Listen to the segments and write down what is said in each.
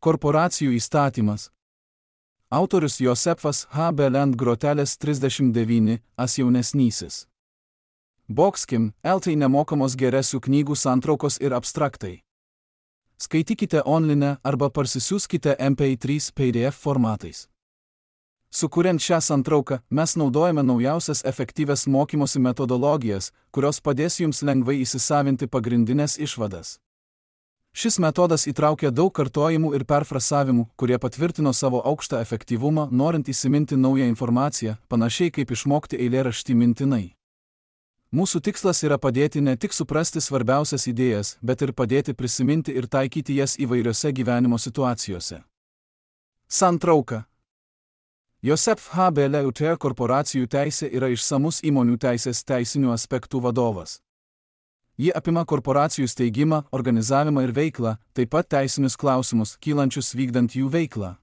Korporacijų įstatymas. Autorius Josefas H. Belend Grotelis 39, as jaunesnysis. Bokskim, LT nemokamos geresių knygų santraukos ir abstraktai. Skaitykite online arba parsisiųskite MP3 PDF formatais. Sukuriant šią santrauką, mes naudojame naujausias efektyvias mokymosi metodologijas, kurios padės jums lengvai įsisavinti pagrindinės išvadas. Šis metodas įtraukia daug kartojimų ir perfrasavimų, kurie patvirtino savo aukštą efektyvumą, norint įsiminti naują informaciją, panašiai kaip išmokti eilėraštį mintinai. Mūsų tikslas yra padėti ne tik suprasti svarbiausias idėjas, bet ir padėti prisiminti ir taikyti jas įvairiose gyvenimo situacijose. Santrauka. Josef H. Belend korporacijų teisė yra išsamus įmonių teisės teisinių aspektų vadovas. Ji apima korporacijų steigimą, organizavimą ir veiklą, taip pat teisinius klausimus, kylančius vykdant jų veiklą.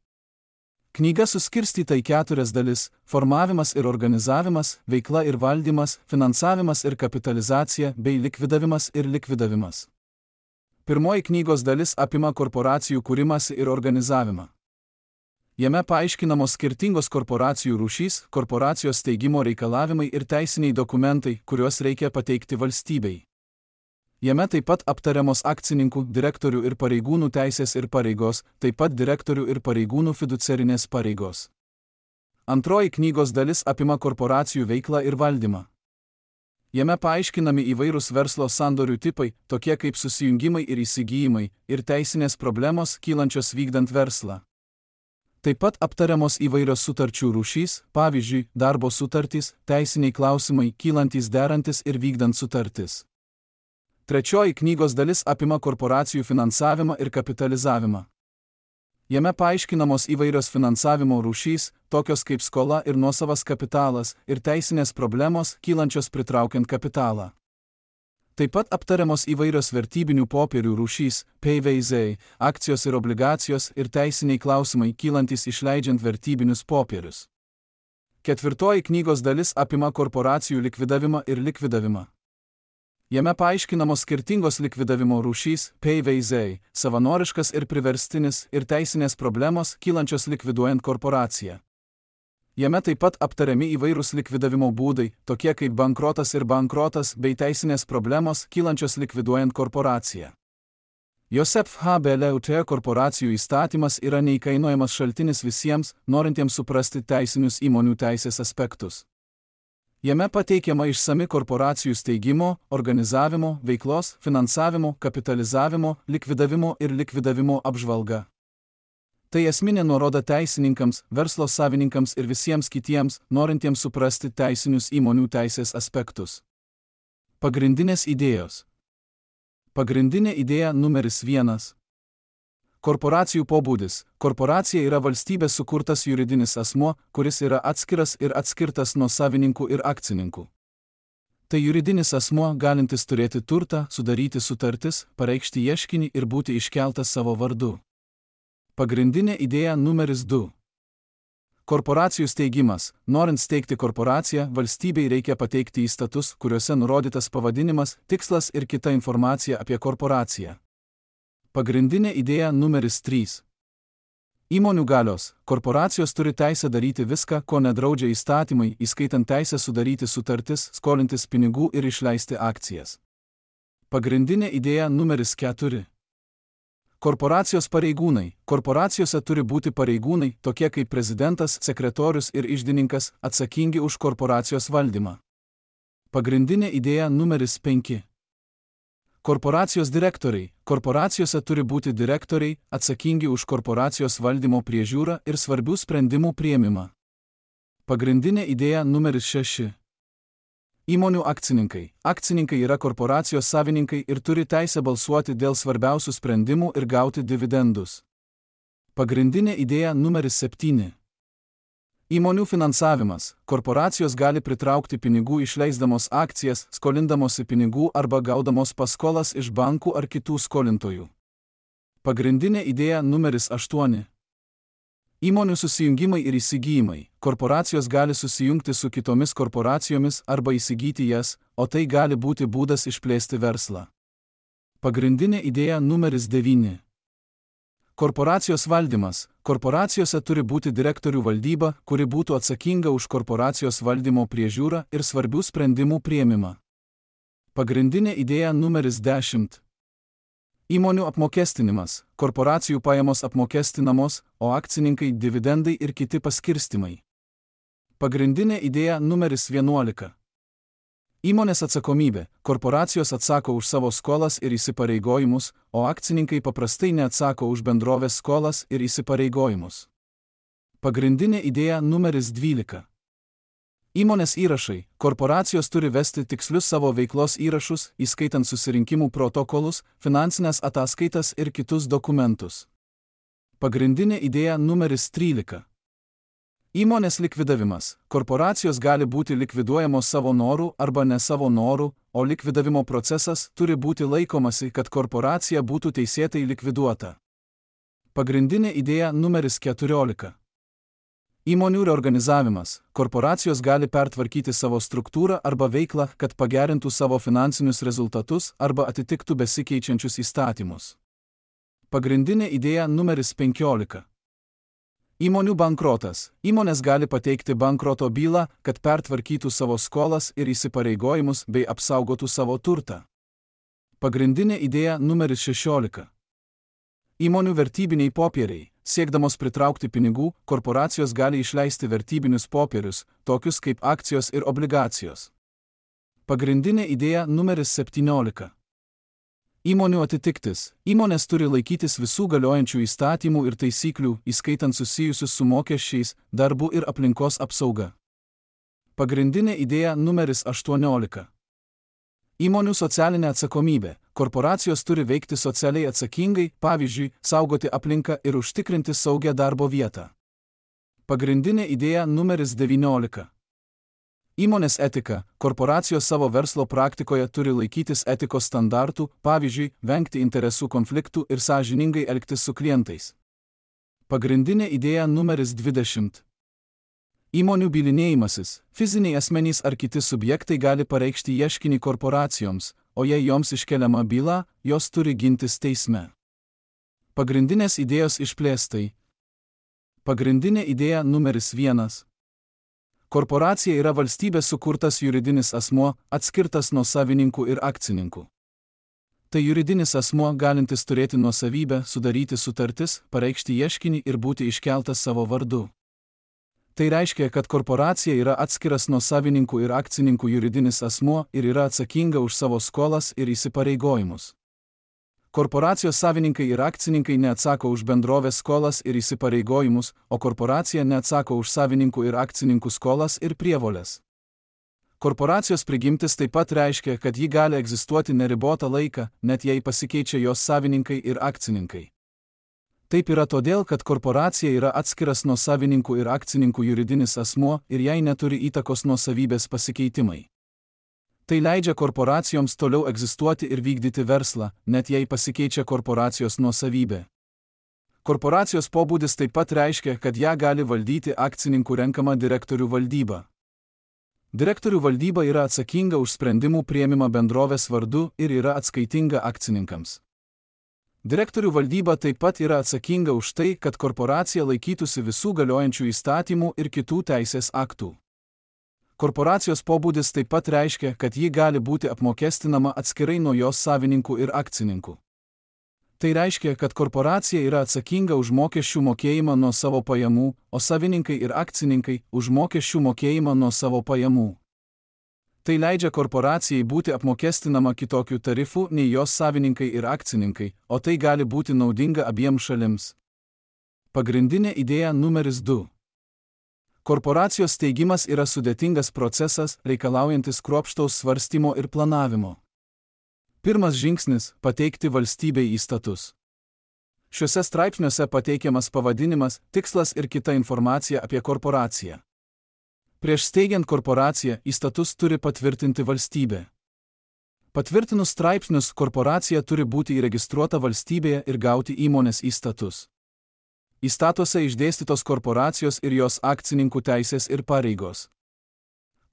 Knyga suskirstyta į 4 dalis – formavimas ir organizavimas, veikla ir valdymas, finansavimas ir kapitalizacija, bei likvidavimas ir likvidavimas. Pirmoji knygos dalis apima korporacijų kūrimąsi ir organizavimą. Jame paaiškinamos skirtingos korporacijų rūšys, korporacijos steigimo reikalavimai ir teisiniai dokumentai, kuriuos reikia pateikti valstybei. Jame taip pat aptariamos akcininkų, direktorių ir pareigūnų teisės ir pareigos, taip pat direktorių ir pareigūnų fiduciarinės pareigos. Antroji knygos dalis apima korporacijų veiklą ir valdymą. Jame paaiškinami įvairūs verslo sandorių tipai, tokie kaip susijungimai ir įsigijimai, ir teisinės problemos, kylančios vykdant verslą. Taip pat aptariamos įvairios sutarčių rūšys, pavyzdžiui, darbo sutartys, teisiniai klausimai, kylantys derantis ir vykdant sutartis. Trečioji knygos dalis apima korporacijų finansavimą ir kapitalizavimą. Jame paaiškinamos įvairios finansavimo rūšys, tokios kaip skola ir nuosavas kapitalas, ir teisinės problemos, kylančios pritraukiant kapitalą. Taip pat aptariamos įvairios vertybinių popierių rūšys, PVZ, akcijos ir obligacijos ir teisiniai klausimai, kylantis išleidžiant vertybinius popierius. Ketvirtoji knygos dalis apima korporacijų likvidavimą ir likvidavimą. Jame paaiškinamos skirtingos likvidavimo rūšys, PVZ, savanoriškas ir priverstinis, ir teisinės problemos, kylančios likviduojant korporaciją. Jame taip pat aptariami įvairūs likvidavimo būdai, tokie kaip bankrotas ir bankrotas, bei teisinės problemos, kylančios likviduojant korporaciją. Josef H. Belend korporacijų įstatymas yra neįkainojamas šaltinis visiems, norintiems suprasti teisinius įmonių teisės aspektus. Jame pateikiama išsami korporacijų steigimo, organizavimo, veiklos, finansavimo, kapitalizavimo, likvidavimo ir likvidavimo apžvalga. Tai esminė nuoroda teisininkams, verslo savininkams ir visiems kitiems, norintiems suprasti teisinius įmonių teisės aspektus. Pagrindinės idėjos. Pagrindinė idėja numeris 1. Korporacijų pobūdis. Korporacija yra valstybės sukurtas juridinis asmuo, kuris yra atskiras ir atskirtas nuo savininkų ir akcininkų. Tai juridinis asmuo, galintis turėti turtą, sudaryti sutartis, pareikšti ieškinį ir būti iškeltas savo vardu. Pagrindinė idėja numeris 2. Korporacijų steigimas. Norint steigti korporaciją, valstybei reikia pateikti įstatus, kuriuose nurodytas pavadinimas, tikslas ir kita informacija apie korporaciją. Pagrindinė idėja numeris 3. Įmonių galios. Korporacijos turi teisę daryti viską, ko nedraudžia įstatymai, įskaitant teisę sudaryti sutartis, skolintis pinigų ir išleisti akcijas. Pagrindinė idėja numeris 4. Korporacijos pareigūnai. Korporacijose turi būti pareigūnai, tokie kaip prezidentas, sekretorius ir iždininkas, atsakingi už korporacijos valdymą. Pagrindinė idėja numeris 5. Korporacijos direktoriai. Korporacijose turi būti direktoriai, atsakingi už korporacijos valdymo priežiūrą ir svarbių sprendimų priėmimą. Pagrindinė idėja numeris 6. Įmonių akcininkai. Akcininkai yra korporacijos savininkai ir turi teisę balsuoti dėl svarbiausių sprendimų ir gauti dividendus. Pagrindinė idėja numeris 7. Įmonių finansavimas. Korporacijos gali pritraukti pinigų išleisdamos akcijas, skolindamosi pinigų arba gaudamos paskolas iš bankų ar kitų skolintojų. Pagrindinė idėja numeris 8. Įmonių susijungimai ir įsigijimai. Korporacijos gali susijungti su kitomis korporacijomis arba įsigyti jas, o tai gali būti būdas išplėsti verslą. Pagrindinė idėja numeris 9. Korporacijos valdymas. Korporacijose turi būti direktorių valdyba, kuri būtų atsakinga už korporacijos valdymo priežiūrą ir svarbių sprendimų priėmimą. Pagrindinė idėja numeris 10. Įmonių apmokestinimas. Korporacijų pajamos apmokestinamos, o akcininkai dividendai ir kiti paskirstimai. Pagrindinė idėja numeris 11. Įmonės atsakomybė. Korporacijos atsako už savo skolas ir įsipareigojimus, o akcininkai paprastai neatsako už bendrovės skolas ir įsipareigojimus. Pagrindinė idėja numeris 12. Įmonės įrašai. Korporacijos turi vesti tikslius savo veiklos įrašus, įskaitant susirinkimų protokolus, finansinės ataskaitas ir kitus dokumentus. Pagrindinė idėja numeris 13. Įmonės likvidavimas. Korporacijos gali būti likviduojamos savo norų arba ne savo norų, o likvidavimo procesas turi būti laikomasi, kad korporacija būtų teisėtai likviduota. Pagrindinė idėja numeris 14. Įmonių reorganizavimas. Korporacijos gali pertvarkyti savo struktūrą arba veiklą, kad pagerintų savo finansinius rezultatus arba atitiktų besikeičiančius įstatymus. Pagrindinė idėja numeris 15. Įmonių bankrotas. Įmonės gali pateikti bankroto bylą, kad pertvarkytų savo skolas ir įsipareigojimus bei apsaugotų savo turtą. Pagrindinė idėja numeris 16. Įmonių vertybiniai popieriai. Siekdamos pritraukti pinigų, korporacijos gali išleisti vertybinius popierius, tokius kaip akcijos ir obligacijos. Pagrindinė idėja numeris 17. Įmonių atitiktis. Įmonės turi laikytis visų galiojančių įstatymų ir taisyklių, įskaitant susijusius su mokesčiais, darbu ir aplinkos apsauga. Pagrindinė idėja numeris 18. Įmonių socialinė atsakomybė. Korporacijos turi veikti socialiai atsakingai, pavyzdžiui, saugoti aplinką ir užtikrinti saugią darbo vietą. Pagrindinė idėja numeris 19. Įmonės etika. Korporacijos savo verslo praktikoje turi laikytis etikos standartų, pavyzdžiui, vengti interesų konfliktų ir sąžiningai elgtis su klientais. Pagrindinė idėja numeris 20. Įmonių bylinėjimasis. Fiziniai asmenys ar kiti subjektai gali pareikšti ieškinį korporacijoms, o jei joms iškeliama byla, jos turi gintis teisme. Pagrindinės idėjos išplėstai. Pagrindinė idėja numeris 1. Korporacija yra valstybės sukurtas juridinis asmuo, atskirtas nuo savininkų ir akcininkų. Tai juridinis asmuo galintis turėti nuosavybę, sudaryti sutartis, pareikšti ieškinį ir būti iškeltas savo vardu. Tai reiškia, kad korporacija yra atskiras nuo savininkų ir akcininkų juridinis asmuo ir yra atsakinga už savo skolas ir įsipareigojimus. Korporacijos savininkai ir akcininkai neatsako už bendrovės skolas ir įsipareigojimus, o korporacija neatsako už savininkų ir akcininkų skolas ir prievoles. Korporacijos prigimtis taip pat reiškia, kad ji gali egzistuoti neribotą laiką, net jei pasikeičia jos savininkai ir akcininkai. Taip yra todėl, kad korporacija yra atskiras nuo savininkų ir akcininkų juridinis asmuo ir jai neturi įtakos nuosavybės pasikeitimai. Tai leidžia korporacijoms toliau egzistuoti ir vykdyti verslą, net jei pasikeičia korporacijos nuosavybė. Korporacijos pobūdis taip pat reiškia, kad ją gali valdyti akcininkų renkama direktorių valdyba. Direktorių valdyba yra atsakinga už sprendimų priėmimą bendrovės vardu ir yra atskaitinga akcininkams. Direktorių valdyba taip pat yra atsakinga už tai, kad korporacija laikytųsi visų galiojančių įstatymų ir kitų teisės aktų. Korporacijos pobūdis taip pat reiškia, kad ji gali būti apmokestinama atskirai nuo jos savininkų ir akcininkų. Tai reiškia, kad korporacija yra atsakinga už mokesčių mokėjimą nuo savo pajamų, o savininkai ir akcininkai už mokesčių mokėjimą nuo savo pajamų. Tai leidžia korporacijai būti apmokestinama kitokių tarifų nei jos savininkai ir akcininkai, o tai gali būti naudinga abiems šalims. Pagrindinė idėja numeris 2. Korporacijos steigimas yra sudėtingas procesas, reikalaujantis kruopštaus svarstymo ir planavimo. Pirmas žingsnis – pateikti valstybei įstatus. Šiuose straipsniuose pateikiamas pavadinimas, tikslas ir kita informacija apie korporaciją. Prieš steigiant korporaciją, įstatus turi patvirtinti valstybė. Patvirtinus straipsnius, korporacija turi būti įregistruota valstybėje ir gauti įmonės įstatus. Įstatuose išdėstytos korporacijos ir jos akcininkų teisės ir pareigos.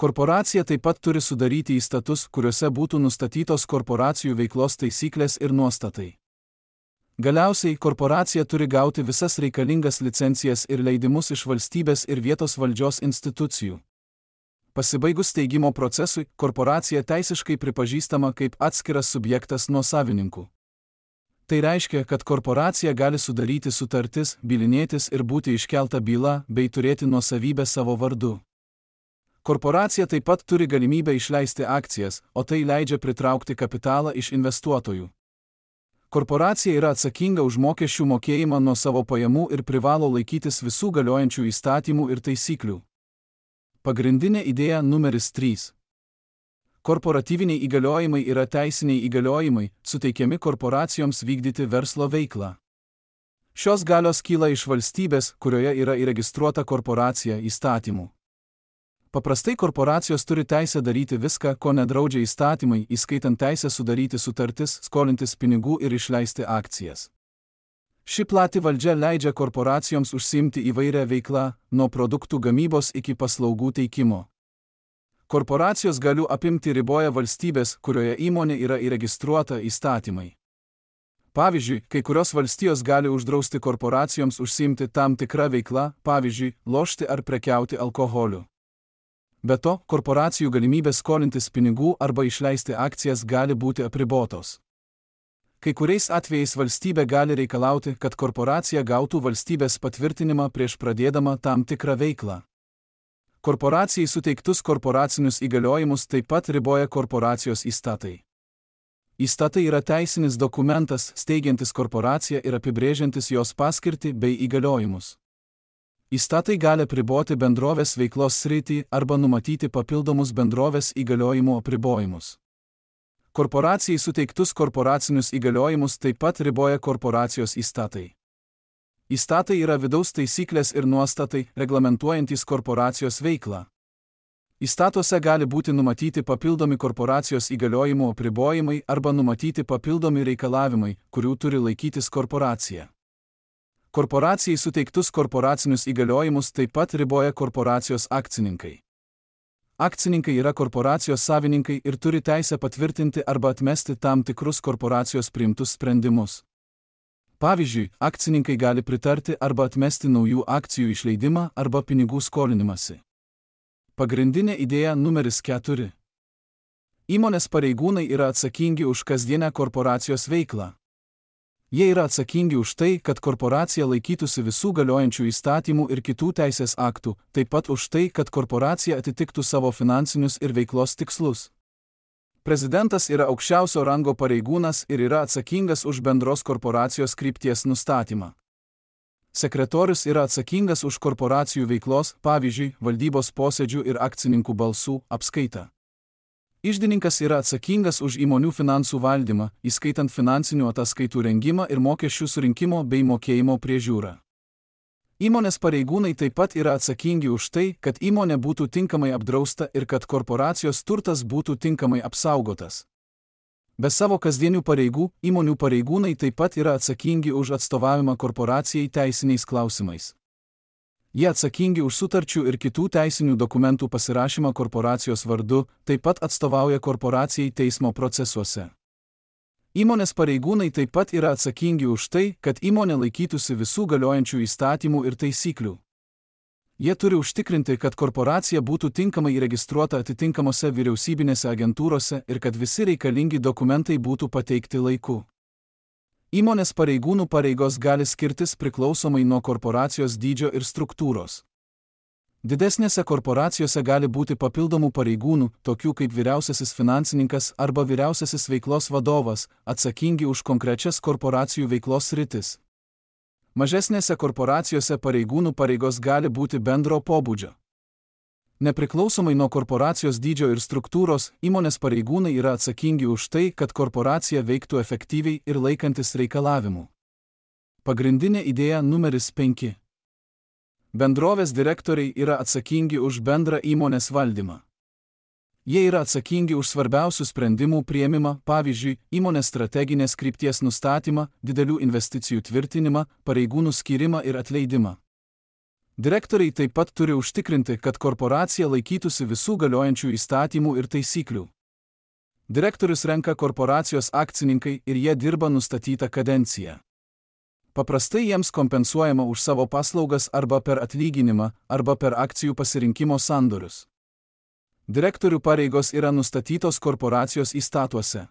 Korporacija taip pat turi sudaryti įstatus, kuriuose būtų nustatytos korporacijų veiklos taisyklės ir nuostatai. Galiausiai korporacija turi gauti visas reikalingas licencijas ir leidimus iš valstybės ir vietos valdžios institucijų. Pasibaigus steigimo procesui, korporacija teisiškai pripažįstama kaip atskiras subjektas nuo savininkų. Tai reiškia, kad korporacija gali sudaryti sutartis, bylinėtis ir būti iškelta byla bei turėti nuosavybę savo vardu. Korporacija taip pat turi galimybę išleisti akcijas, o tai leidžia pritraukti kapitalą iš investuotojų. Korporacija yra atsakinga už mokesčių mokėjimą nuo savo pajamų ir privalo laikytis visų galiojančių įstatymų ir taisyklių. Pagrindinė idėja numeris 3. Korporatyviniai įgaliojimai yra teisiniai įgaliojimai, suteikiami korporacijoms vykdyti verslo veiklą. Šios galios kyla iš valstybės, kurioje yra įregistruota korporacija, įstatymų. Paprastai korporacijos turi teisę daryti viską, ko nedraudžia įstatymai, įskaitant teisę sudaryti sutartis, skolintis pinigų ir išleisti akcijas. Ši plati valdžia leidžia korporacijoms užsiimti įvairią veiklą, nuo produktų gamybos iki paslaugų teikimo. Korporacijos galių apimti riboja valstybės, kurioje įmonė yra įregistruota, įstatymai. Pavyzdžiui, kai kurios valstijos gali uždrausti korporacijoms užsiimti tam tikrą veiklą, pavyzdžiui, lošti ar prekiauti alkoholiu. Be to, korporacijų galimybės skolintis pinigų arba išleisti akcijas gali būti apribotos. Kai kuriais atvejais valstybė gali reikalauti, kad korporacija gautų valstybės patvirtinimą prieš pradėdama tam tikrą veiklą. Korporacijai suteiktus korporacinius įgaliojimus taip pat riboja korporacijos įstatai. Įstatai yra teisinis dokumentas, steigiantis korporaciją ir apibrėžiantis jos paskirtį bei įgaliojimus. Įstatai gali apriboti bendrovės veiklos sritį arba numatyti papildomus bendrovės įgaliojimų apribojimus. Korporacijai suteiktus korporacinius įgaliojimus taip pat riboja korporacijos įstatai. Įstatai yra vidaus taisyklės ir nuostatai, reglamentuojantys korporacijos veiklą. Įstatuose gali būti numatyti papildomi korporacijos įgaliojimų apribojimai arba numatyti papildomi reikalavimai, kurių turi laikytis korporacija. Korporacijai suteiktus korporacinius įgaliojimus taip pat riboja korporacijos akcininkai. Akcininkai yra korporacijos savininkai ir turi teisę patvirtinti arba atmesti tam tikrus korporacijos priimtus sprendimus. Pavyzdžiui, akcininkai gali pritarti arba atmesti naujų akcijų išleidimą arba pinigų skolinimąsi. Pagrindinė idėja numeris 4. Įmonės pareigūnai yra atsakingi už kasdienę korporacijos veiklą. Jie yra atsakingi už tai, kad korporacija laikytųsi visų galiojančių įstatymų ir kitų teisės aktų, taip pat už tai, kad korporacija atitiktų savo finansinius ir veiklos tikslus. Prezidentas yra aukščiausio rango pareigūnas ir yra atsakingas už bendros korporacijos krypties nustatymą. Sekretorius yra atsakingas už korporacijų veiklos, pavyzdžiui, valdybos posėdžių ir akcininkų balsų apskaitą. Iždininkas yra atsakingas už įmonių finansų valdymą, įskaitant finansinių ataskaitų rengimą ir mokesčių surinkimo bei mokėjimo priežiūrą. Įmonės pareigūnai taip pat yra atsakingi už tai, kad įmonė būtų tinkamai apdrausta ir kad korporacijos turtas būtų tinkamai apsaugotas. Be savo kasdienių pareigų, įmonių pareigūnai taip pat yra atsakingi už atstovavimą korporacijai teisiniais klausimais. Jie atsakingi už sutarčių ir kitų teisinių dokumentų pasirašymą korporacijos vardu, taip pat atstovauja korporacijai teismo procesuose. Įmonės pareigūnai taip pat yra atsakingi už tai, kad įmonė laikytųsi visų galiojančių įstatymų ir taisyklių. Jie turi užtikrinti, kad korporacija būtų tinkamai įregistruota atitinkamose vyriausybinėse agentūrose ir kad visi reikalingi dokumentai būtų pateikti laiku. Įmonės pareigūnų pareigos gali skirtis priklausomai nuo korporacijos dydžio ir struktūros. Didesnėse korporacijose gali būti papildomų pareigūnų, tokių kaip vyriausiasis finansininkas arba vyriausiasis veiklos vadovas, atsakingi už konkrečias korporacijų veiklos sritis. Mažesnėse korporacijose pareigūnų pareigos gali būti bendro pobūdžio. Nepriklausomai nuo korporacijos dydžio ir struktūros, įmonės pareigūnai yra atsakingi už tai, kad korporacija veiktų efektyviai ir laikantis reikalavimų. Pagrindinė idėja numeris 5. Bendrovės direktoriai yra atsakingi už bendrą įmonės valdymą. Jie yra atsakingi už svarbiausių sprendimų priėmimą, pavyzdžiui, įmonės strateginės krypties nustatymą, didelių investicijų tvirtinimą, pareigūnų skyrimą ir atleidimą. Direktoriai taip pat turi užtikrinti, kad korporacija laikytųsi visų galiojančių įstatymų ir taisyklių. Direktorius renka korporacijos akcininkai ir jie dirba nustatytą kadenciją. Paprastai jiems kompensuojama už savo paslaugas arba per atlyginimą, arba per akcijų pasirinkimo sandorius. Direktorių pareigos yra nustatytos korporacijos įstatuose.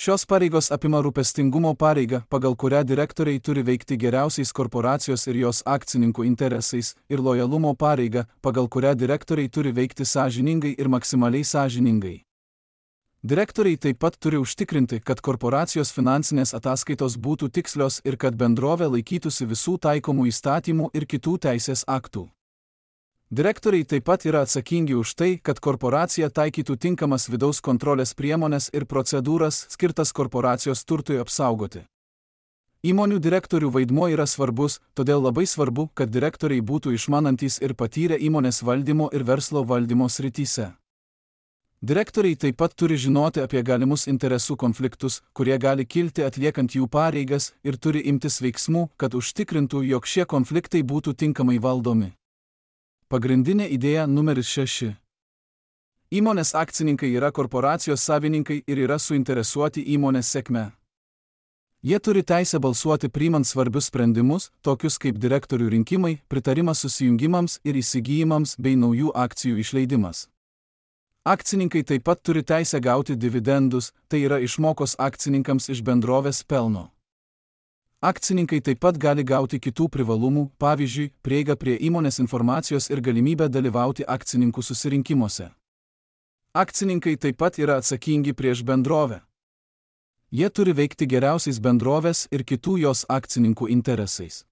Šios pareigos apima rūpestingumo pareigą, pagal kurią direktoriai turi veikti geriausiais korporacijos ir jos akcininkų interesais, ir lojalumo pareigą, pagal kurią direktoriai turi veikti sąžiningai ir maksimaliai sąžiningai. Direktoriai taip pat turi užtikrinti, kad korporacijos finansinės ataskaitos būtų tikslios ir kad bendrovė laikytųsi visų taikomų įstatymų ir kitų teisės aktų. Direktoriai taip pat yra atsakingi už tai, kad korporacija taikytų tinkamas vidaus kontrolės priemonės ir procedūras skirtas korporacijos turtui apsaugoti. Įmonių direktorių vaidmuo yra svarbus, todėl labai svarbu, kad direktoriai būtų išmanantys ir patyrę įmonės valdymo ir verslo valdymo srityse. Direktoriai taip pat turi žinoti apie galimus interesų konfliktus, kurie gali kilti atliekant jų pareigas, ir turi imtis veiksmų, kad užtikrintų, jog šie konfliktai būtų tinkamai valdomi. Pagrindinė idėja numeris 6. Įmonės akcininkai yra korporacijos savininkai ir yra suinteresuoti įmonės sėkme. Jie turi teisę balsuoti priimant svarbius sprendimus, tokius kaip direktorių rinkimai, pritarimas susijungimams ir įsigijimams bei naujų akcijų išleidimas. Akcininkai taip pat turi teisę gauti dividendus, tai yra išmokos akcininkams iš bendrovės pelno. Akcininkai taip pat gali gauti kitų privalumų, pavyzdžiui, prieigą prie įmonės informacijos ir galimybę dalyvauti akcininkų susirinkimuose. Akcininkai taip pat yra atsakingi prieš bendrovę. Jie turi veikti geriausiais bendrovės ir kitų jos akcininkų interesais.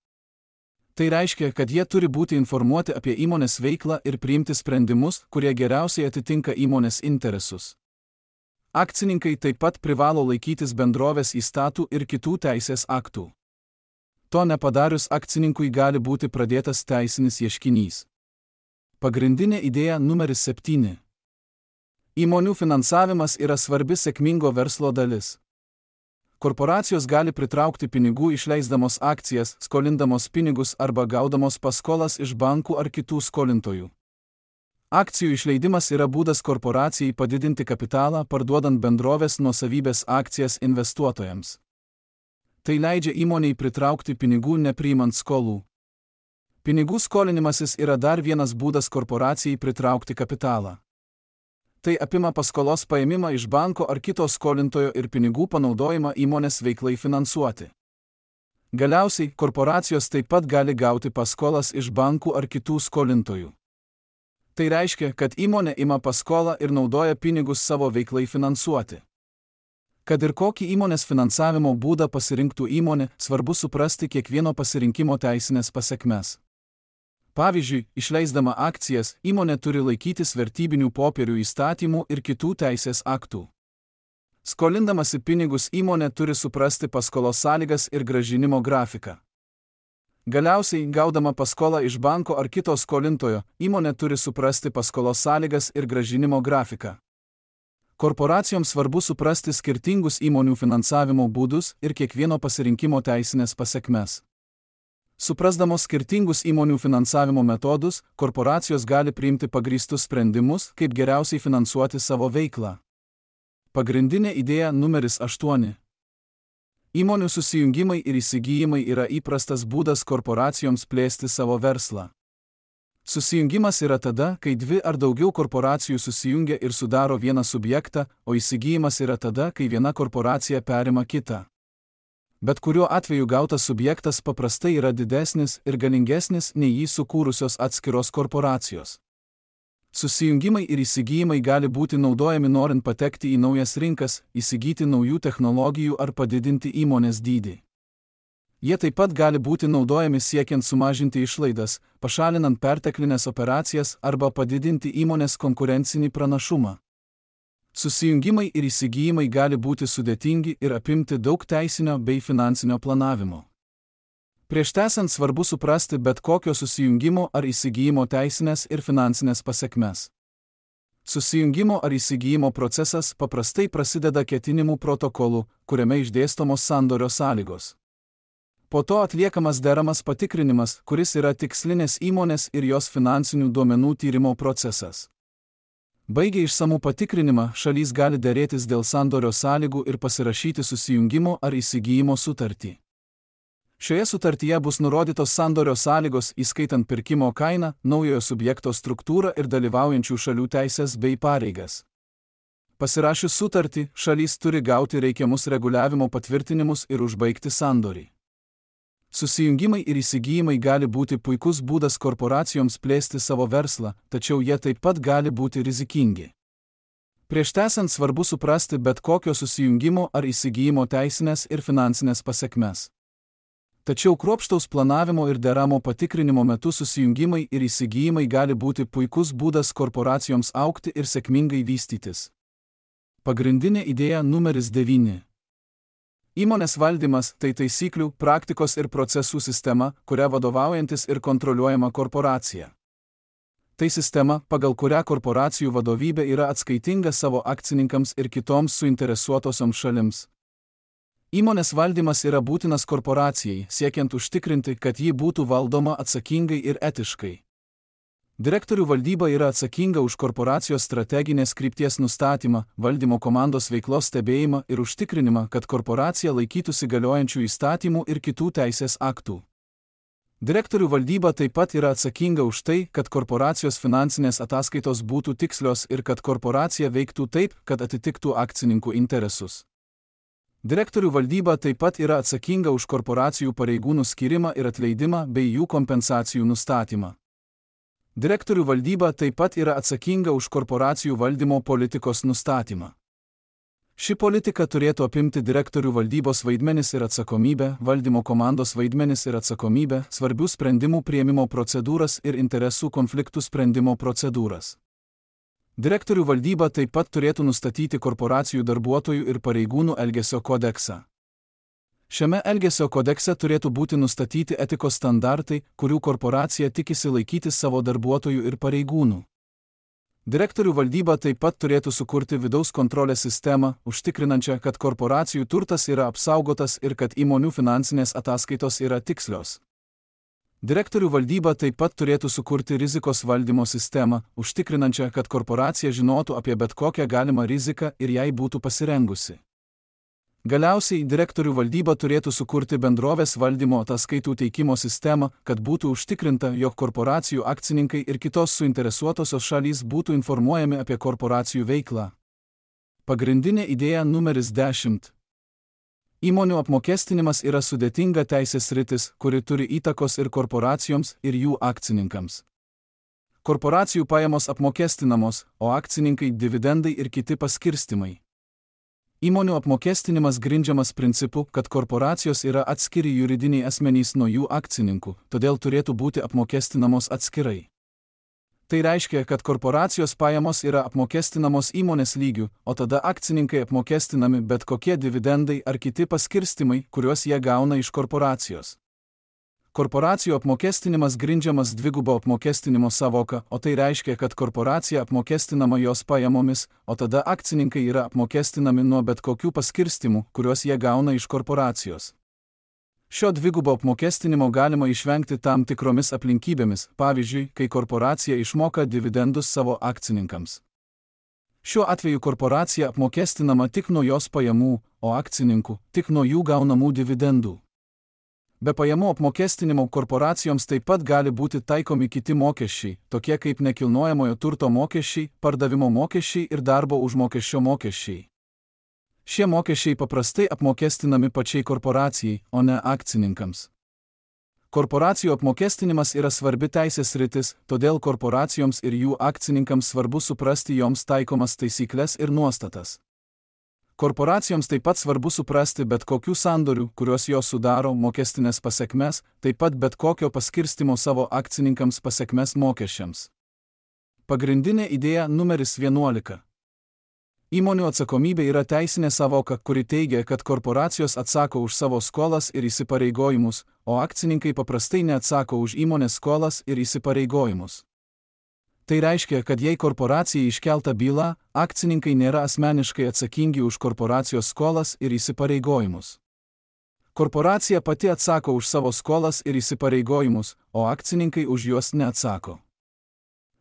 Tai reiškia, kad jie turi būti informuoti apie įmonės veiklą ir priimti sprendimus, kurie geriausiai atitinka įmonės interesus. Akcininkai taip pat privalo laikytis bendrovės įstatų ir kitų teisės aktų. To nepadarius akcininkui gali būti pradėtas teisinis ieškinys. Pagrindinė idėja numeris 7. Įmonių finansavimas yra svarbi sėkmingo verslo dalis. Korporacijos gali pritraukti pinigų išleisdamos akcijas, skolindamos pinigus arba gaudamos paskolas iš bankų ar kitų skolintojų. Akcijų išleidimas yra būdas korporacijai padidinti kapitalą, parduodant bendrovės nuosavybės akcijas investuotojams. Tai leidžia įmonei pritraukti pinigų nepriimant skolų. Pinigų skolinimasis yra dar vienas būdas korporacijai pritraukti kapitalą. Tai apima paskolos paėmimą iš banko ar kito skolintojo ir pinigų panaudojimą įmonės veiklai finansuoti. Galiausiai, korporacijos taip pat gali gauti paskolas iš bankų ar kitų skolintojų. Tai reiškia, kad įmonė ima paskolą ir naudoja pinigus savo veiklai finansuoti. Kad ir kokį įmonės finansavimo būdą pasirinktų įmonė, svarbu suprasti kiekvieno pasirinkimo teisinės pasekmes. Pavyzdžiui, išleisdama akcijas, įmonė turi laikytis vertybinių popierių įstatymų ir kitų teisės aktų. Skolindamasi pinigus įmonė turi suprasti paskolos sąlygas ir grąžinimo grafiką. Galiausiai, gaudama paskolą iš banko ar kito skolintojo, įmonė turi suprasti paskolos sąlygas ir grąžinimo grafiką. Korporacijoms svarbu suprasti skirtingus įmonių finansavimo būdus ir kiekvieno pasirinkimo teisinės pasekmes. Suprasdamos skirtingus įmonių finansavimo metodus, korporacijos gali priimti pagrįstus sprendimus, kaip geriausiai finansuoti savo veiklą. Pagrindinė idėja numeris 8. Įmonių susijungimai ir įsigijimai yra įprastas būdas korporacijoms plėsti savo verslą. Susijungimas yra tada, kai dvi ar daugiau korporacijų susijungia ir sudaro vieną subjektą, o įsigijimas yra tada, kai viena korporacija perima kitą. Bet kuriuo atveju gautas subjektas paprastai yra didesnis ir galingesnis nei jį sukūrusios atskiros korporacijos. Susijungimai ir įsigijimai gali būti naudojami norint patekti į naujas rinkas, įsigyti naujų technologijų ar padidinti įmonės dydį. Jie taip pat gali būti naudojami siekiant sumažinti išlaidas, pašalinant perteklinės operacijas arba padidinti įmonės konkurencinį pranašumą. Susijungimai ir įsigijimai gali būti sudėtingi ir apimti daug teisinio bei finansinio planavimo. Prieš tęsiant svarbu suprasti bet kokio susijungimo ar įsigijimo teisinės ir finansinės pasekmes. Susijungimo ar įsigijimo procesas paprastai prasideda ketinimų protokolu, kuriame išdėstomos sandorio sąlygos. Po to atliekamas deramas patikrinimas, kuris yra tikslinės įmonės ir jos finansinių duomenų tyrimo procesas. Baigę išsamų patikrinimą, šalys gali derėtis dėl sandorio sąlygų ir pasirašyti susijungimo ar įsigijimo sutartį. Šioje sutartyje bus nurodytos sandorio sąlygos, įskaitant pirkimo kainą, naujojo subjekto struktūrą ir dalyvaujančių šalių teisės bei pareigas. Pasirašius sutartį, šalys turi gauti reikiamus reguliavimo patvirtinimus ir užbaigti sandorį. Susijungimai ir įsigijimai gali būti puikus būdas korporacijoms plėsti savo verslą, tačiau jie taip pat gali būti rizikingi. Prieš tęsiant svarbu suprasti bet kokio susijungimo ar įsigijimo teisinės ir finansinės pasekmes. Tačiau kruopštaus planavimo ir deramo patikrinimo metu susijungimai ir įsigijimai gali būti puikus būdas korporacijoms augti ir sėkmingai vystytis. Pagrindinė idėja numeris 9. Įmonės valdymas – tai taisyklių, praktikos ir procesų sistema, kuria vadovaujantis ir kontroliuojama korporacija. Tai sistema, pagal kurią korporacijų vadovybė yra atskaitinga savo akcininkams ir kitoms suinteresuotosioms šalims. Įmonės valdymas yra būtinas korporacijai, siekiant užtikrinti, kad ji būtų valdoma atsakingai ir etiškai. Direktorių valdyba yra atsakinga už korporacijos strateginės krypties nustatymą, valdymo komandos veiklos stebėjimą ir užtikrinimą, kad korporacija laikytųsi galiojančių įstatymų ir kitų teisės aktų. Direktorių valdyba taip pat yra atsakinga už tai, kad korporacijos finansinės ataskaitos būtų tikslios ir kad korporacija veiktų taip, kad atitiktų akcininkų interesus. Direktorių valdyba taip pat yra atsakinga už korporacijų pareigūnų skyrimą ir atleidimą bei jų kompensacijų nustatymą. Direktorių valdyba taip pat yra atsakinga už korporacijų valdymo politikos nustatymą. Ši politika turėtų apimti direktorių valdybos vaidmenis ir atsakomybę, valdymo komandos vaidmenis ir atsakomybę, svarbių sprendimų priėmimo procedūras ir interesų konfliktų sprendimo procedūras. Direktorių valdyba taip pat turėtų nustatyti korporacijų darbuotojų ir pareigūnų elgesio kodeksą. Šiame elgesio kodekse turėtų būti nustatyti etikos standartai, kurių korporacija tikisi laikytis savo darbuotojų ir pareigūnų. Direktorių valdyba taip pat turėtų sukurti vidaus kontrolės sistemą, užtikrinančią, kad korporacijų turtas yra apsaugotas ir kad įmonių finansinės ataskaitos yra tikslios. Direktorių valdyba taip pat turėtų sukurti rizikos valdymo sistemą, užtikrinančią, kad korporacija žinotų apie bet kokią galimą riziką ir jai būtų pasirengusi. Galiausiai, direktorių valdyba turėtų sukurti bendrovės valdymo ataskaitų teikimo sistemą, kad būtų užtikrinta, jog korporacijų akcininkai ir kitos suinteresuotosios šalys būtų informuojami apie korporacijų veiklą. Pagrindinė idėja numeris 10. Įmonių apmokestinimas yra sudėtinga teisės sritis, kuri turi įtakos ir korporacijoms, ir jų akcininkams. Korporacijų pajamos apmokestinamos, o akcininkai dividendai ir kiti paskirstymai. Įmonių apmokestinimas grindžiamas principu, kad korporacijos yra atskiri juridiniai asmenys nuo jų akcininkų, todėl turėtų būti apmokestinamos atskirai. Tai reiškia, kad korporacijos pajamos yra apmokestinamos įmonės lygių, o tada akcininkai apmokestinami bet kokie dividendai ar kiti paskirstymai, kuriuos jie gauna iš korporacijos. Korporacijų apmokestinimas grindžiamas dvigubo apmokestinimo sąvoka, o tai reiškia, kad korporacija apmokestinama jos pajamomis, o tada akcininkai yra apmokestinami nuo bet kokių paskirstimų, kuriuos jie gauna iš korporacijos. Šio dvigubo apmokestinimo galima išvengti tam tikromis aplinkybėmis, pavyzdžiui, kai korporacija išmoka dividendus savo akcininkams. Šiuo atveju korporacija apmokestinama tik nuo jos pajamų, o akcininkų tik nuo jų gaunamų dividendų. Be pajamų apmokestinimo korporacijoms taip pat gali būti taikomi kiti mokesčiai, tokie kaip nekilnojamojo turto mokesčiai, pardavimo mokesčiai ir darbo užmokesčio mokesčiai. Šie mokesčiai paprastai apmokestinami pačiai korporacijai, o ne akcininkams. Korporacijų apmokestinimas yra svarbi teisės sritis, todėl korporacijoms ir jų akcininkams svarbu suprasti joms taikomas taisykles ir nuostatas. Korporacijoms taip pat svarbu suprasti bet kokių sandorių, kuriuos jos sudaro, mokestinės pasekmes, taip pat bet kokio paskirstimo savo akcininkams pasekmes mokesčiams. Pagrindinė idėja numeris 11. Įmonių atsakomybė yra teisinė sąvoka, kuri teigia, kad korporacijos atsako už savo skolas ir įsipareigojimus, o akcininkai paprastai neatsako už įmonės skolas ir įsipareigojimus. Tai reiškia, kad jei korporacijai iškelta byla, akcininkai nėra asmeniškai atsakingi už korporacijos skolas ir įsipareigojimus. Korporacija pati atsako už savo skolas ir įsipareigojimus, o akcininkai už juos neatsako.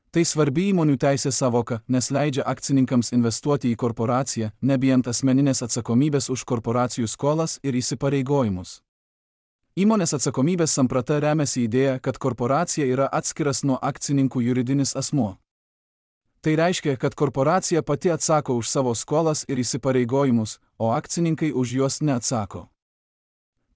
Tai svarbi įmonių teisės sąvoka, nes leidžia akcininkams investuoti į korporaciją, nebijant asmeninės atsakomybės už korporacijų skolas ir įsipareigojimus. Įmonės atsakomybės samprata remiasi idėja, kad korporacija yra atskiras nuo akcininkų juridinis asmuo. Tai reiškia, kad korporacija pati atsako už savo skolas ir įsipareigojimus, o akcininkai už juos neatsako.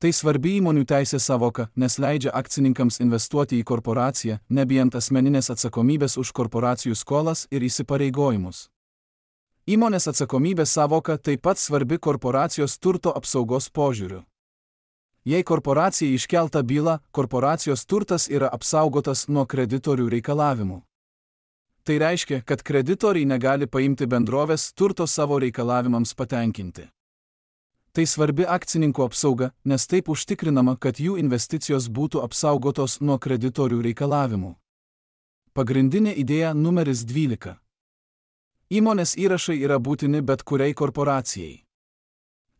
Tai svarbi įmonių teisės savoka, nes leidžia akcininkams investuoti į korporaciją, nebijant asmeninės atsakomybės už korporacijų skolas ir įsipareigojimus. Įmonės atsakomybės savoka taip pat svarbi korporacijos turto apsaugos požiūriu. Jei korporacijai iškelta byla, korporacijos turtas yra apsaugotas nuo kreditorių reikalavimų. Tai reiškia, kad kreditoriai negali paimti bendrovės turto savo reikalavimams patenkinti. Tai svarbi akcininkų apsauga, nes taip užtikrinama, kad jų investicijos būtų apsaugotos nuo kreditorių reikalavimų. Pagrindinė idėja numeris 12. Įmonės įrašai yra būtini bet kuriai korporacijai.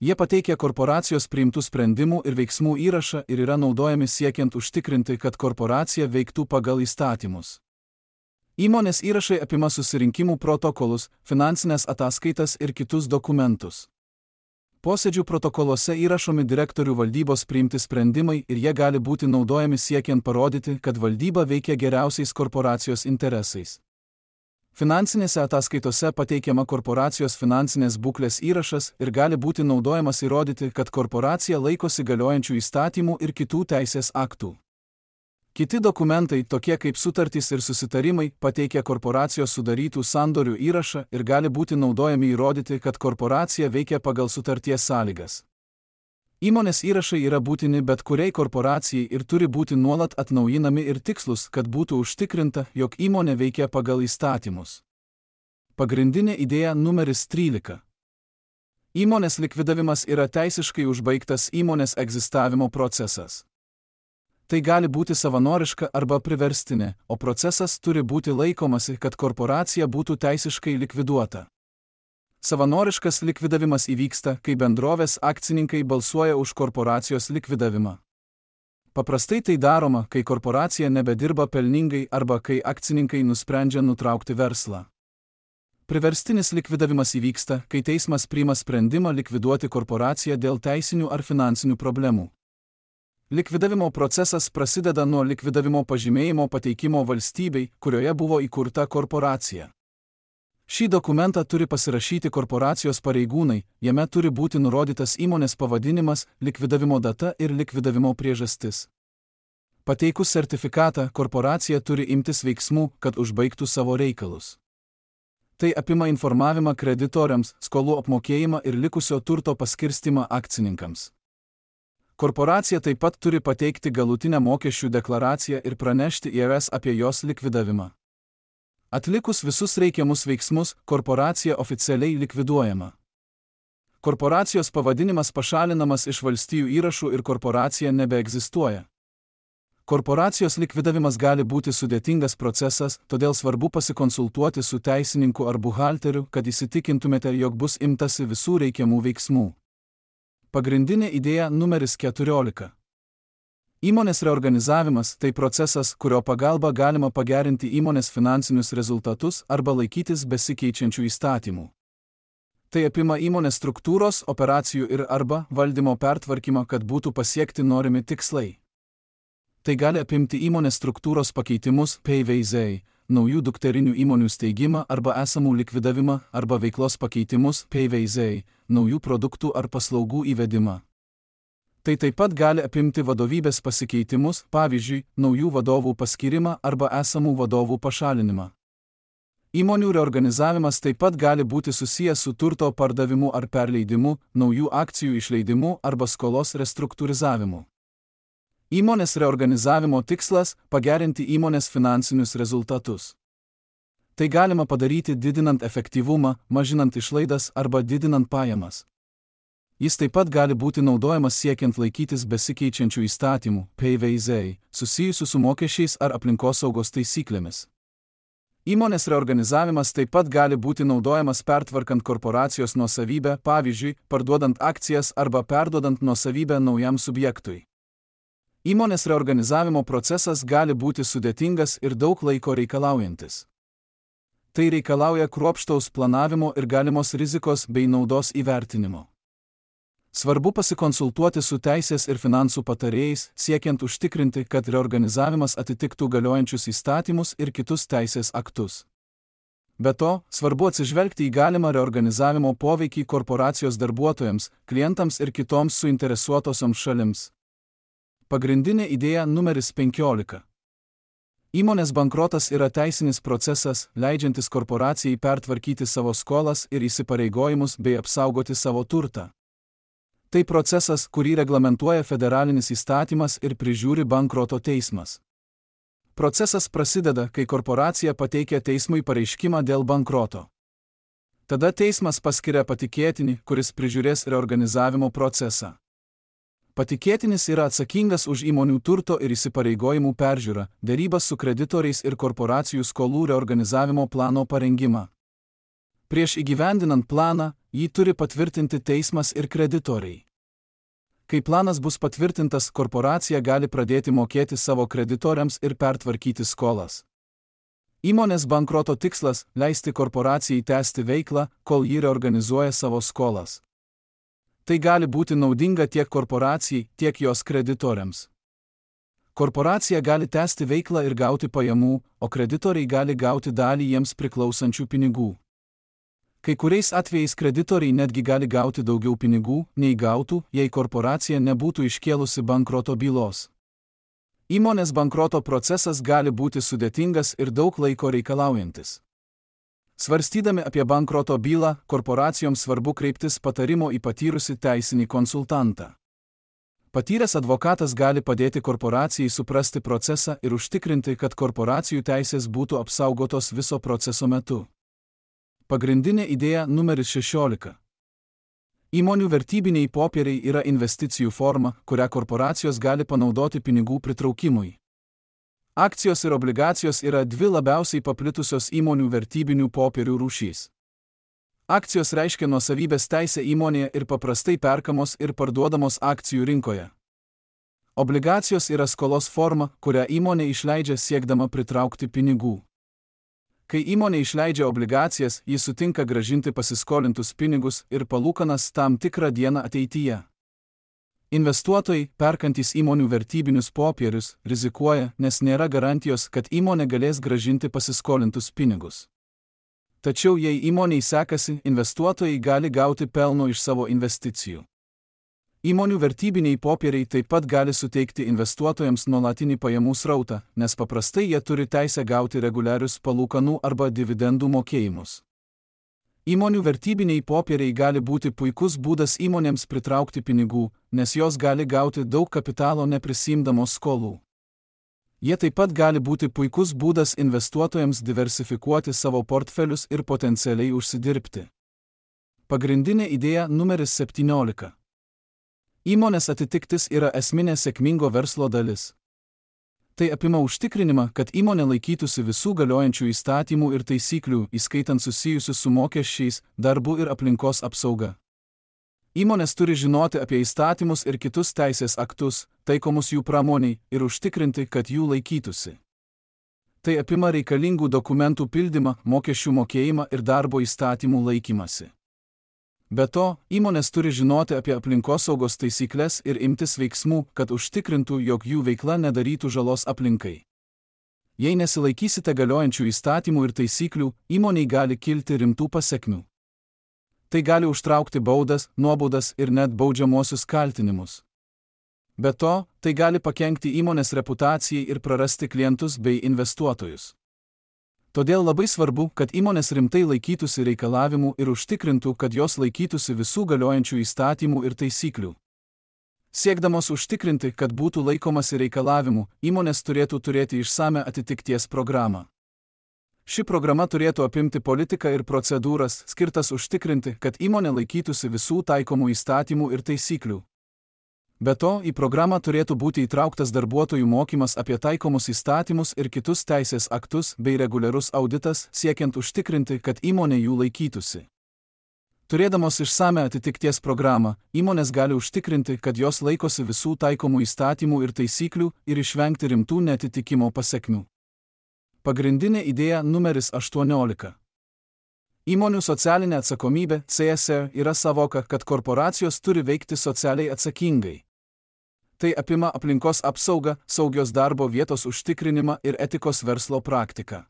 Jie pateikia korporacijos priimtų sprendimų ir veiksmų įrašą ir yra naudojami siekiant užtikrinti, kad korporacija veiktų pagal įstatymus. Įmonės įrašai apima susirinkimų protokolus, finansinės ataskaitas ir kitus dokumentus. Posėdžių protokoluose įrašomi direktorių valdybos priimti sprendimai ir jie gali būti naudojami siekiant parodyti, kad valdyba veikia geriausiais korporacijos interesais. Finansinėse ataskaitose pateikiama korporacijos finansinės būklės įrašas ir gali būti naudojamas įrodyti, kad korporacija laikosi galiojančių įstatymų ir kitų teisės aktų. Kiti dokumentai, tokie kaip sutartys ir susitarimai, pateikia korporacijos sudarytų sandorių įrašą ir gali būti naudojami įrodyti, kad korporacija veikia pagal sutarties sąlygas. Įmonės įrašai yra būtini bet kuriai korporacijai ir turi būti nuolat atnaujinami ir tikslus, kad būtų užtikrinta, jog įmonė veikia pagal įstatymus. Pagrindinė idėja numeris 13. Įmonės likvidavimas yra teisiškai užbaigtas įmonės egzistavimo procesas. Tai gali būti savanoriška arba priverstinė, o procesas turi būti laikomasi, kad korporacija būtų teisiškai likviduota. Savanoriškas likvidavimas įvyksta, kai bendrovės akcininkai balsuoja už korporacijos likvidavimą. Paprastai tai daroma, kai korporacija nebedirba pelningai arba kai akcininkai nusprendžia nutraukti verslą. Priverstinis likvidavimas įvyksta, kai teismas priima sprendimą likviduoti korporaciją dėl teisinių ar finansinių problemų. Likvidavimo procesas prasideda nuo likvidavimo pažymėjimo pateikimo valstybei, kurioje buvo įkurta korporacija. Šį dokumentą turi pasirašyti korporacijos pareigūnai, jame turi būti nurodytas įmonės pavadinimas, likvidavimo data ir likvidavimo priežastis. Pateikus sertifikatą, korporacija turi imtis veiksmų, kad užbaigtų savo reikalus. Tai apima informavimą kreditoriams, skolų apmokėjimą ir likusio turto paskirstimą akcininkams. Korporacija taip pat turi pateikti galutinę mokesčių deklaraciją ir pranešti IRS apie jos likvidavimą. Atlikus visus reikiamus veiksmus, korporacija oficialiai likviduojama. Korporacijos pavadinimas pašalinamas iš valstijų įrašų ir korporacija nebeegzistuoja. Korporacijos likvidavimas gali būti sudėtingas procesas, todėl svarbu pasikonsultuoti su teisininku ar buhalteriu, kad įsitikintumėte, jog bus imtasi visų reikiamų veiksmų. Pagrindinė idėja numeris 14. Įmonės reorganizavimas – tai procesas, kurio pagalba galima pagerinti įmonės finansinius rezultatus arba laikytis besikeičiančių įstatymų. Tai apima įmonės struktūros, operacijų ir arba valdymo pertvarkymą, kad būtų pasiekti norimi tikslai. Tai gali apimti įmonės struktūros pakeitimus, PVZ, naujų dukterinių įmonių steigimą arba esamų likvidavimą, arba veiklos pakeitimus, PVZ, naujų produktų ar paslaugų įvedimą. Tai taip pat gali apimti vadovybės pasikeitimus, pavyzdžiui, naujų vadovų paskyrimą arba esamų vadovų pašalinimą. Įmonių reorganizavimas taip pat gali būti susijęs su turto pardavimu ar perleidimu, naujų akcijų išleidimu arba skolos restruktūrizavimu. Įmonės reorganizavimo tikslas – pagerinti įmonės finansinius rezultatus. Tai galima padaryti didinant efektyvumą, mažinant išlaidas arba didinant pajamas. Jis taip pat gali būti naudojamas siekiant laikytis besikeičiančių įstatymų, PVZ, susijusių su mokesčiais ar aplinkosaugos taisyklėmis. Įmonės reorganizavimas taip pat gali būti naudojamas pertvarkant korporacijos nuosavybę, pavyzdžiui, parduodant akcijas arba perduodant nuosavybę naujam subjektui. Įmonės reorganizavimo procesas gali būti sudėtingas ir daug laiko reikalaujantis. Tai reikalauja kruopštaus planavimo ir galimos rizikos bei naudos įvertinimo. Svarbu pasikonsultuoti su teisės ir finansų patarėjais, siekiant užtikrinti, kad reorganizavimas atitiktų galiojančius įstatymus ir kitus teisės aktus. Be to, svarbu atsižvelgti į galimą reorganizavimo poveikį korporacijos darbuotojams, klientams ir kitoms suinteresuotosioms šalims. Pagrindinė idėja numeris 15. Įmonės bankrotas yra teisinis procesas, leidžiantis korporacijai pertvarkyti savo skolas ir įsipareigojimus bei apsaugoti savo turtą. Tai procesas, kurį reglamentuoja federalinis įstatymas ir prižiūri bankroto teismas. Procesas prasideda, kai korporacija pateikia teismui pareiškimą dėl bankroto. Tada teismas paskiria patikėtinį, kuris prižiūrės reorganizavimo procesą. Patikėtinis yra atsakingas už įmonių turto ir įsipareigojimų peržiūrą, derybas su kreditoriais ir korporacijų skolų reorganizavimo plano parengimą. Prieš įgyvendinant planą, jį turi patvirtinti teismas ir kreditoriai. Kai planas bus patvirtintas, korporacija gali pradėti mokėti savo kreditoriams ir pertvarkyti skolas. Įmonės bankroto tikslas – leisti korporacijai tęsti veiklą, kol ji reorganizuoja savo skolas. Tai gali būti naudinga tiek korporacijai, tiek jos kreditoriams. Korporacija gali tęsti veiklą ir gauti pajamų, o kreditoriai gali gauti dalį jiems priklausančių pinigų. Kai kuriais atvejais kreditoriai netgi gali gauti daugiau pinigų, nei gautų, jei korporacija nebūtų iškėlusi bankroto bylos. Įmonės bankroto procesas gali būti sudėtingas ir daug laiko reikalaujantis. Svarstydami apie bankroto bylą, korporacijoms svarbu kreiptis patarimo į patyrusį teisinį konsultantą. Patyręs advokatas gali padėti korporacijai suprasti procesą ir užtikrinti, kad korporacijų teisės būtų apsaugotos viso proceso metu. Pagrindinė idėja numeris 16. Įmonių vertybiniai popieriai yra investicijų forma, kurią korporacijos gali panaudoti pinigų pritraukimui. Akcijos ir obligacijos yra dvi labiausiai paplitusios įmonių vertybinių popierių rūšys. Akcijos reiškia nuosavybės teisę įmonėje ir paprastai perkamos ir parduodamos akcijų rinkoje. Obligacijos yra skolos forma, kurią įmonė išleidžia siekdama pritraukti pinigų. Kai įmonė išleidžia obligacijas, ji sutinka grąžinti pasiskolintus pinigus ir palūkanas tam tikrą dieną ateityje. Investuotojai, perkantys įmonių vertybinius popierius, rizikuoja, nes nėra garantijos, kad įmonė galės grąžinti pasiskolintus pinigus. Tačiau jei įmonei sekasi, investuotojai gali gauti pelno iš savo investicijų. Įmonių vertybiniai popieriai taip pat gali suteikti investuotojams nuolatinį pajamų srautą, nes paprastai jie turi teisę gauti reguliarius palūkanų arba dividendų mokėjimus. Įmonių vertybiniai popieriai gali būti puikus būdas įmonėms pritraukti pinigų, nes jos gali gauti daug kapitalo neprisiimdamos skolų. Jie taip pat gali būti puikus būdas investuotojams diversifikuoti savo portfelius ir potencialiai užsidirbti. Pagrindinė idėja numeris 17. Įmonės atitiktis yra esminė sėkmingo verslo dalis. Tai apima užtikrinimą, kad įmonė laikytųsi visų galiojančių įstatymų ir taisyklių, įskaitant susijusius su mokesčiais, darbu ir aplinkos apsauga. Įmonės turi žinoti apie įstatymus ir kitus teisės aktus, taikomus jų pramoniai, ir užtikrinti, kad jų laikytųsi. Tai apima reikalingų dokumentų pildymą, mokesčių mokėjimą ir darbo įstatymų laikymasi. Be to, įmonės turi žinoti apie aplinkosaugos taisyklės ir imtis veiksmų, kad užtikrintų, jog jų veikla nedarytų žalos aplinkai. Jei nesilaikysite galiojančių įstatymų ir taisyklių, įmonei gali kilti rimtų pasekmių. Tai gali užtraukti baudas, nuobaudas ir net baudžiamuosius kaltinimus. Be to, tai gali pakenkti įmonės reputacijai ir prarasti klientus bei investuotojus. Todėl labai svarbu, kad įmonės rimtai laikytųsi reikalavimų ir užtikrintų, kad jos laikytųsi visų galiojančių įstatymų ir taisyklių. Siekdamos užtikrinti, kad būtų laikomasi reikalavimų, įmonės turėtų turėti išsamią atitikties programą. Ši programa turėtų apimti politiką ir procedūras, skirtas užtikrinti, kad įmonė laikytųsi visų taikomų įstatymų ir taisyklių. Be to, į programą turėtų būti įtrauktas darbuotojų mokymas apie taikomus įstatymus ir kitus teisės aktus bei reguliarus auditas, siekiant užtikrinti, kad įmonė jų laikytųsi. Turėdamos išsamią atitikties programą, įmonės gali užtikrinti, kad jos laikosi visų taikomų įstatymų ir taisyklių ir išvengti rimtų neatitikimo pasekmių. Pagrindinė idėja numeris 18. Įmonių socialinė atsakomybė (CSR) yra savoka, kad korporacijos turi veikti socialiai atsakingai. Tai apima aplinkos apsaugą, saugios darbo vietos užtikrinimą ir etikos verslo praktiką.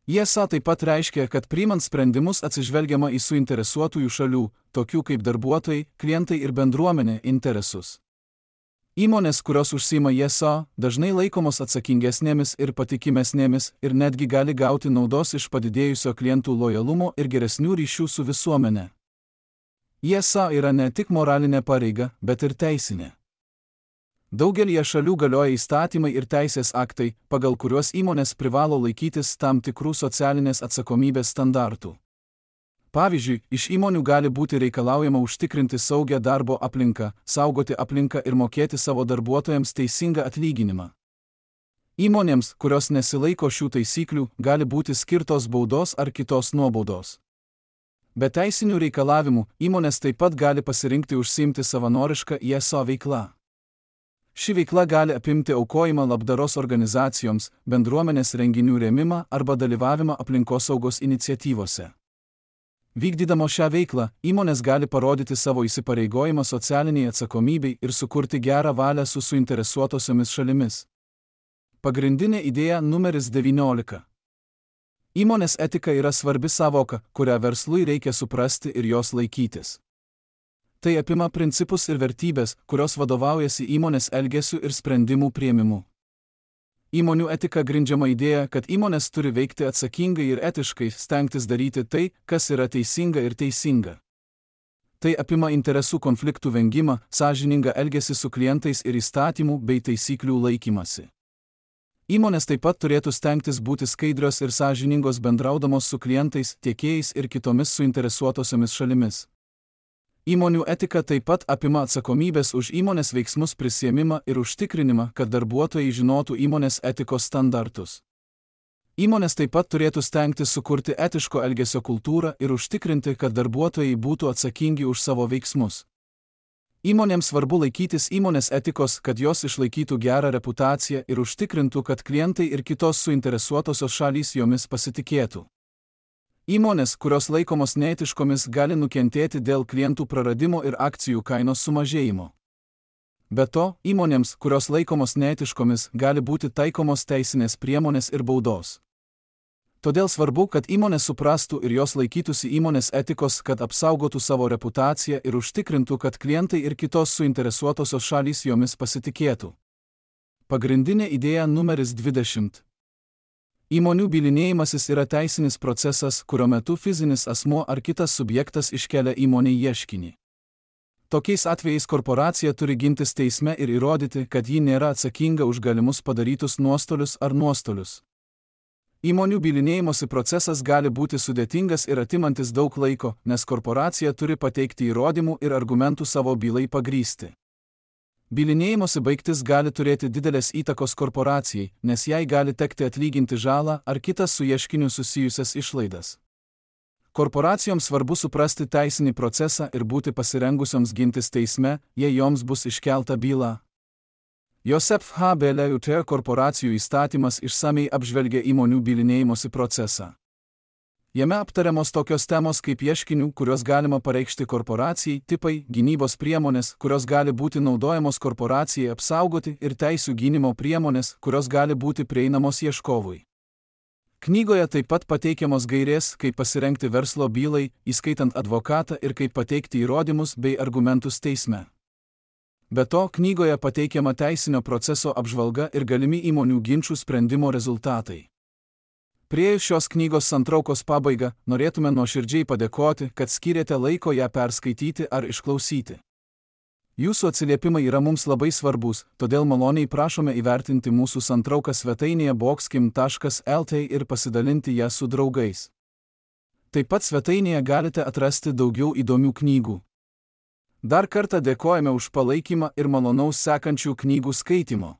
ISA taip pat reiškia, kad priimant sprendimus atsižvelgiama į suinteresuotųjų šalių, tokių kaip darbuotojai, klientai ir bendruomenė, interesus. Įmonės, kurios užsiima ISA, dažnai laikomos atsakingesnėmis ir patikimesnėmis ir netgi gali gauti naudos iš padidėjusio klientų lojalumo ir geresnių ryšių su visuomene. ISA yra ne tik moralinė pareiga, bet ir teisinė. Daugelyje šalių galioja įstatymai ir teisės aktai, pagal kuriuos įmonės privalo laikytis tam tikrų socialinės atsakomybės standartų. Pavyzdžiui, iš įmonių gali būti reikalaujama užtikrinti saugią darbo aplinką, saugoti aplinką ir mokėti savo darbuotojams teisingą atlyginimą. Įmonėms, kurios nesilaiko šių taisyklių, gali būti skirtos baudos ar kitos nuobaudos. Be teisinių reikalavimų, įmonės taip pat gali pasirinkti užsiimti savanorišką ISA veiklą. Ši veikla gali apimti aukojimą labdaros organizacijoms, bendruomenės renginių rėmimą arba dalyvavimą aplinkosaugos iniciatyvose. Vykdydamos šią veiklą, įmonės gali parodyti savo įsipareigojimą socialiniai atsakomybei ir sukurti gerą valią su suinteresuotosiomis šalimis. Pagrindinė idėja numeris 19. Įmonės etika yra svarbi savoka, kurią verslui reikia suprasti ir jos laikytis. Tai apima principus ir vertybės, kurios vadovaujasi įmonės elgesiu ir sprendimų priėmimu. Įmonių etika grindžiama idėja, kad įmonės turi veikti atsakingai ir etiškai, stengtis daryti tai, kas yra teisinga ir teisinga. Tai apima interesų konfliktų vengimą, sąžiningą elgesį su klientais ir įstatymų bei taisyklių laikymasi. Įmonės taip pat turėtų stengtis būti skaidrios ir sąžiningos bendraudamos su klientais, tiekėjais ir kitomis suinteresuotosiomis šalimis. Įmonių etika taip pat apima atsakomybės už įmonės veiksmus prisiėmimą ir užtikrinimą, kad darbuotojai žinotų įmonės etikos standartus. Įmonės taip pat turėtų stengtis sukurti etiško elgesio kultūrą ir užtikrinti, kad darbuotojai būtų atsakingi už savo veiksmus. Įmonėms svarbu laikytis įmonės etikos, kad jos išlaikytų gerą reputaciją ir užtikrintų, kad klientai ir kitos suinteresuotosios šalys jomis pasitikėtų. Įmonės, kurios laikomos neetiškomis, gali nukentėti dėl klientų praradimo ir akcijų kainos sumažėjimo. Be to, įmonėms, kurios laikomos neetiškomis, gali būti taikomos teisinės priemonės ir baudos. Todėl svarbu, kad įmonės suprastų ir jos laikytųsi įmonės etikos, kad apsaugotų savo reputaciją ir užtikrintų, kad klientai ir kitos suinteresuotosios šalys jomis pasitikėtų. Pagrindinė idėja numeris 20. Įmonių bylinėjimasis yra teisinis procesas, kurio metu fizinis asmuo ar kitas subjektas iškelia įmonei ieškinį. Tokiais atvejais korporacija turi gintis teisme ir įrodyti, kad ji nėra atsakinga už galimus padarytus nuostolius ar nuostolius. Įmonių bylinėjimosi procesas gali būti sudėtingas ir atimantis daug laiko, nes korporacija turi pateikti įrodymų ir argumentų savo bylai pagrįsti. Bylinėjimosi baigtis gali turėti didelės įtakos korporacijai, nes jai gali tekti atlyginti žalą ar kitas su ieškiniu susijusias išlaidas. Korporacijoms svarbu suprasti teisinį procesą ir būti pasirengusioms gintis teisme, jei joms bus iškelta byla. Joseph H. Beleut korporacijų įstatymas išsamiai apžvelgia įmonių bylinėjimosi procesą. Jame aptariamos tokios temos kaip ieškinių, kuriuos galima pareikšti korporacijai, tipai, gynybos priemonės, kurios gali būti naudojamos korporacijai apsaugoti ir teisių gynimo priemonės, kurios gali būti prieinamos ieškovui. Knygoje taip pat pateikiamos gairės, kaip pasirengti verslo bylai, įskaitant advokatą ir kaip pateikti įrodymus bei argumentus teisme. Be to, knygoje pateikiama teisinio proceso apžvalga ir galimi įmonių ginčų sprendimo rezultatai. Priėjus šios knygos santraukos pabaigą, norėtume nuoširdžiai padėkoti, kad skyrėte laiko ją perskaityti ar išklausyti. Jūsų atsiliepimai yra mums labai svarbus, todėl maloniai prašome įvertinti mūsų santrauką svetainėje boxkim.lt ir pasidalinti ją su draugais. Taip pat svetainėje galite atrasti daugiau įdomių knygų. Dar kartą dėkojame už palaikymą ir malonaus sekančių knygų skaitimo.